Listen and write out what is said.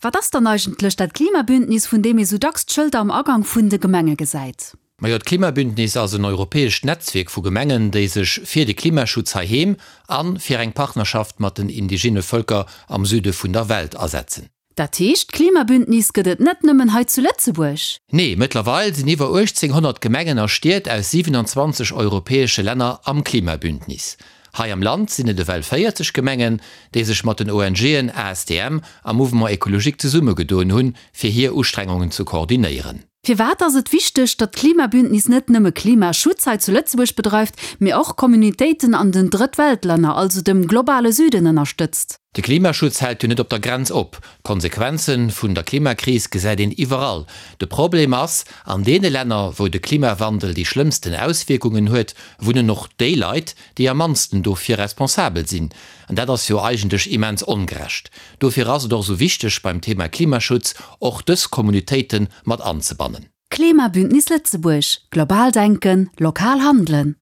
Wat ass dann eigentlech dat Klimabündnis, vun deem ee sou dacks d'Schëlter am Agang vun de Gemenge gesäit? Majo, d'Klimabündnis ass en europäescht Netzwierk vu Gemengen, déi sech fir de Klimaschutz heiheem a fir eng Partnerschaft mat den indigene Vëlker am Süde vun der Welt asetzen. Dat heescht, d'Klimabündnis gëtt et net nëmmen hei zu Lëtzebuerg? Nee, mëttlerweil sinn iwwer 1.800 Gemengen a Stied aus 27 europäesche Länner am Klimabündnis. Hei am Land sinn et ewell 40 Gemengen, déi sech mat den ONGen ASTM a Mouvement Ecologique zesummegedoen hunn, fir hir Ustrengungen ze koordinéieren. Firwat ass et wichteg, datt d'Klimabündnis net nëmme Klimaschutz hei zu Lëtzebuerg bedreift, mee och Communautéiten an den Drëttweltlänner, also dem globale Süden, ënnerstëtzt? De Klimaschutz hält jo net op der Grenz op. D'Konsequenze vun der Klimakris gesäit een iwwerall. De Problem ass, An deene Länner, wou de Klimawandel déi schlëmmsten Auswierkungen huet, wunnen och déi Leit, déi am mannsten dofir responsabel sinn. An dat ass jo eigentlech immens ongerecht. Dofir ass et och esou wichteg, beim Thema Klimaschutz och dës Communautéite mat anzebannen. Klimabündnis Lëtzebuerg, Global denken, lokal handelen!